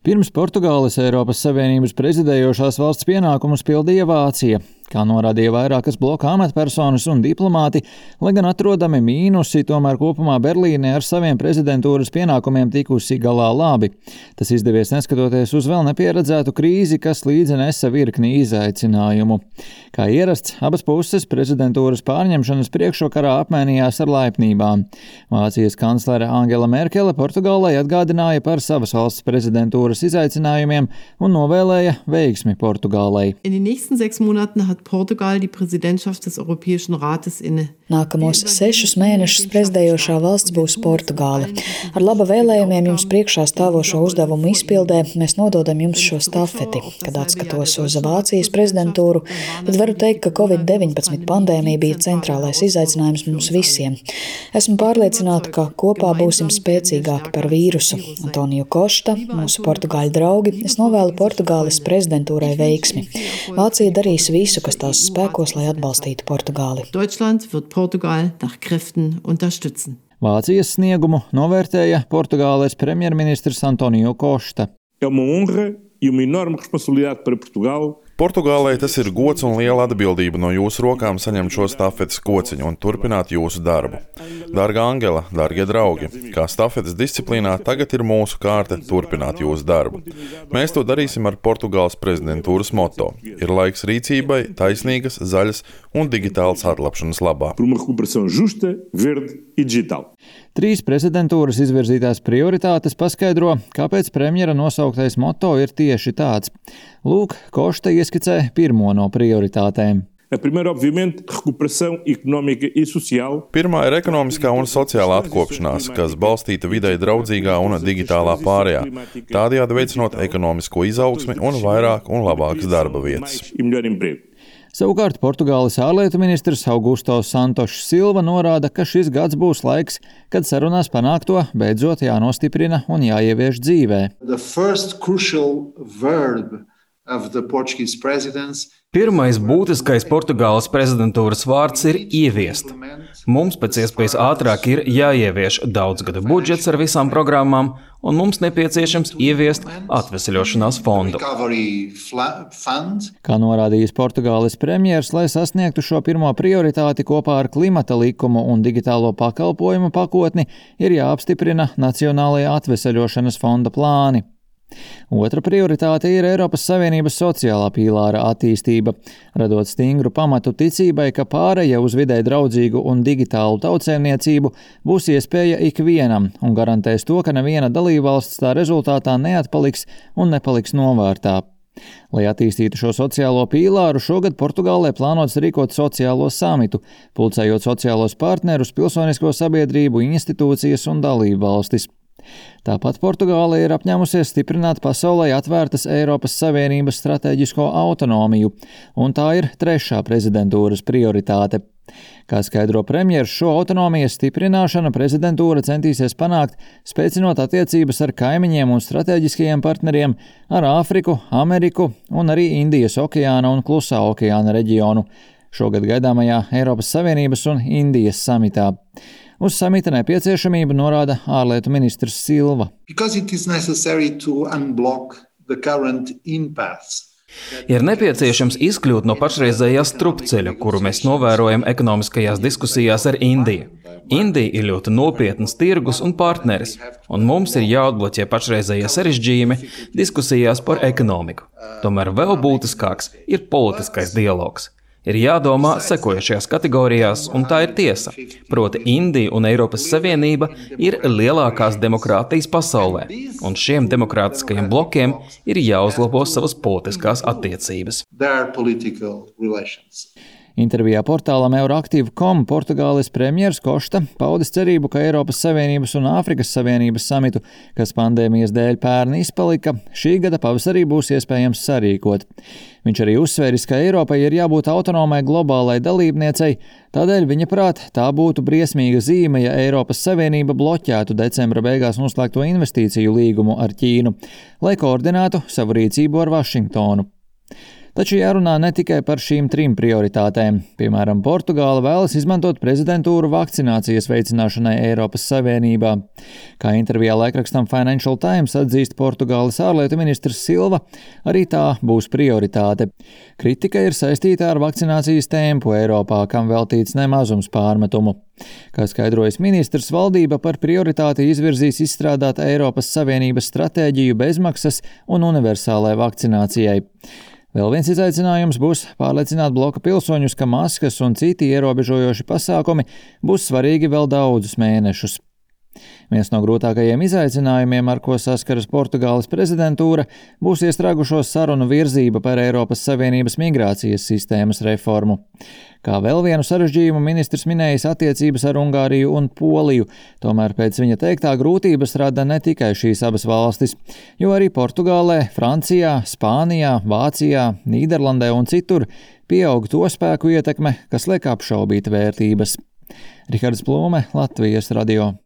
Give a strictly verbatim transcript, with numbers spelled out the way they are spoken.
Pirms Portugāles Eiropas Savienības prezidējošās valsts pienākumus pildīja Vācija. Kā norādīja vairākas bloka amatpersonas un diplomāti, lai gan atrodami mīnusi, tomēr kopumā Berlīne ar saviem prezidentūras pienākumiem tikusi galā labi. Tas izdevies neskatoties uz vēl nepieredzētu krīzi, kas līdzi nesa virkni izaicinājumu. Kā ierasts, abas puses prezidentūras pārņemšanas priekšvakarā apmainījās ar laipnībām. Vācijas kanclere Angela Merkele Portugālei atgādināja par savas valsts prezidentūras izaicinājumiem un novēlēja veiksmi Portugālei. Portugal die Präsidentschaft des Europäischen Rates inne. Nākamos sešus mēnešus prezidējošā valsts būs Portugāle. Ar laba vēlējumiem jums priekšā stāvošo uzdevumu izpildē mēs nododam jums šo stafeti. Kad atskatos uz Vācijas prezidentūru, tad varu teikt, ka covid deviņpadsmit pandēmija bija centrālais izaicinājums mums visiem. Esmu pārliecināta, ka kopā būsim spēcīgāki par vīrusu. Antoniju Košta, mūsu portugāļu draugi, es novēlu Portugāles prezidentūrai veiksmi. Vācija darīs visu, kas tās spēkos, lai atbalstītu Portugāli. Deutschland wird Portugal nach Kräften unterstützen. Vācijas sniegumu novērtēja Portugāles premjerministrs Antoniju Košta. É uma honra e uma enorme responsabilidade para Portugal. Portugālei tas ir gods un liela atbildība no jūsu rokām saņemt šo stafetes kociņu un turpināt jūsu darbu. Dārgā Angela, dārgie draugi, kā stafetes disciplīnā tagad ir mūsu kārta turpināt jūsu darbu. Mēs to darīsim ar Portugāles prezidentūras moto. Ir laiks rīcībai, taisnīgas, zaļas un digitālas atlapšanas labā. Por uma recuperação justa, verde e digital. Trīs prezidentūras izvirzītās prioritātes paskaidro, kāpēc premjera nosauktais moto ir tieši tāds. Lūk, Košta ieskicē pirmo no prioritātēm. A primeira, obviamente, recuperação económica e social. Pirmā ir ekonomiskā un sociālā atkopšanās, kas balstīta videi draudzīgā un digitālā pārējā, tādējādi veicinot ekonomisko izaugsmi un vairāk un labākas darba vietas. Savukārt Portugāles ārlietu ministrs Augusto Santošs Silva norāda, ka šis gads būs laiks, kad sarunās panākto beidzot jānostiprina un jāievieš dzīvē. Pirmais būtiskais Portugāles prezidentūras vārds ir ieviest. Mums pēc iespējas ātrāk ir jāievieš daudzgada budžets ar visām programmām, un mums nepieciešams ieviest atveseļošanās fondu. Kā norādījis Portugāles premjers, lai sasniegtu šo pirmo prioritāti kopā ar klimata likumu un digitālo pakalpojumu pakotni, ir jāapstiprina Nacionālajā atveseļošanas fonda plāni. Otra prioritāte ir Eiropas Savienības sociālā pīlāra attīstība, radot stingru pamatu ticībai, ka pāreja uz videi draudzīgu un digitālu tautsēmniecību būs iespēja ikvienam un garantēs to, ka neviena dalībvalsts tā rezultātā neatpaliks un nepaliks novārtā. Lai attīstītu šo sociālo pīlāru, šogad Portugālē plānots rīkot sociālo samitu, pulcējot sociālos partnerus, pilsonisko sabiedrību, institūcijas un dalībvalstis. Tāpat Portugāle ir apņēmusies stiprināt pasaulē atvērtas Eiropas Savienības stratēģisko autonomiju, un tā ir trešā prezidentūras prioritāte. Kā skaidro premjers, šo autonomijas stiprināšanu prezidentūra centīsies panākt, spēcinot attiecības ar kaimiņiem un stratēģiskajiem partneriem, ar Āfriku, Ameriku un arī Indijas okeāna un Klusā okeāna reģionu, šogad gaidāmajā Eiropas Savienības un Indijas samitā. Uz samita nepieciešamību norāda ārlietu ministrs Silva. Ir nepieciešams izkļūt no pašreizējā strupceļa, kuru mēs novērojam ekonomiskajās diskusijās ar Indiju. Indija ir ļoti nopietns tirgus un partneris, un mums ir jāatbloķē pašreizējie sarežģījumi diskusijās par ekonomiku. Tomēr vēl būtiskāks ir politiskais dialogs. Ir jādomā sekojošajās kategorijās, un tā ir tiesa. Proti Indija un Eiropas Savienība ir lielākās demokrātijas pasaulē, un šiem demokrātiskajiem blokiem ir jāuzlabo savas politiskās attiecības. Intervijā portālam Euroaktiv punkt com Portugāles premjers Košta paudis cerību, ka Eiropas Savienības un Āfrikas Savienības samitu, kas pandēmijas dēļ pērn izpalika, šī gada pavasarī būs iespējams sarīkot. Viņš arī uzsvēris, ka Eiropai ir jābūt autonomai globālai dalībniecei, tādēļ viņa prāt tā būtu briesmīga zīme, ja Eiropas Savienība bloķētu decembra beigās noslēgto investīciju līgumu ar Ķīnu, lai koordinētu savu rīcību ar Vašingtonu. Taču jārunā ne tikai par šīm trim prioritātēm. Piemēram, Portugāla vēlas izmantot prezidentūru vakcinācijas veicināšanai Eiropas Savienībā. Kā intervijā laikrakstam Financial Times atzīst Portugāles ārlietu ministrs Silva, arī tā būs prioritāte. Kritika ir saistīta ar vakcinācijas tempu Eiropā, kam veltīts nemazums pārmetumu. Kā skaidrojas ministrs, valdība par prioritāti izvirzīs izstrādāt Eiropas Savienības stratēģiju bezmaksas un universālai vakcinācijai. Vēl viens izaicinājums būs pārliecināt bloka pilsoņus, ka maskas un citi ierobežojoši pasākumi būs svarīgi vēl daudzus mēnešus. Viens no grūtākajiem izaicinājumiem, ar ko saskaras Portugāles prezidentūra, būs iestrēgušo sarunu virzība par Eiropas Savienības migrācijas sistēmas reformu. Kā vēl vienu sarežģījumu ministrs minējis attiecības ar Ungāriju un Poliju, tomēr pēc viņa teiktā grūtības rada ne tikai šīs abas valstis, jo arī Portugālē, Francijā, Spānijā, Vācijā, Nīderlandē un citur pieaug to spēku ietekme, kas liek apšaubīt vērtības. Rihards Plūme, Latvijas radio.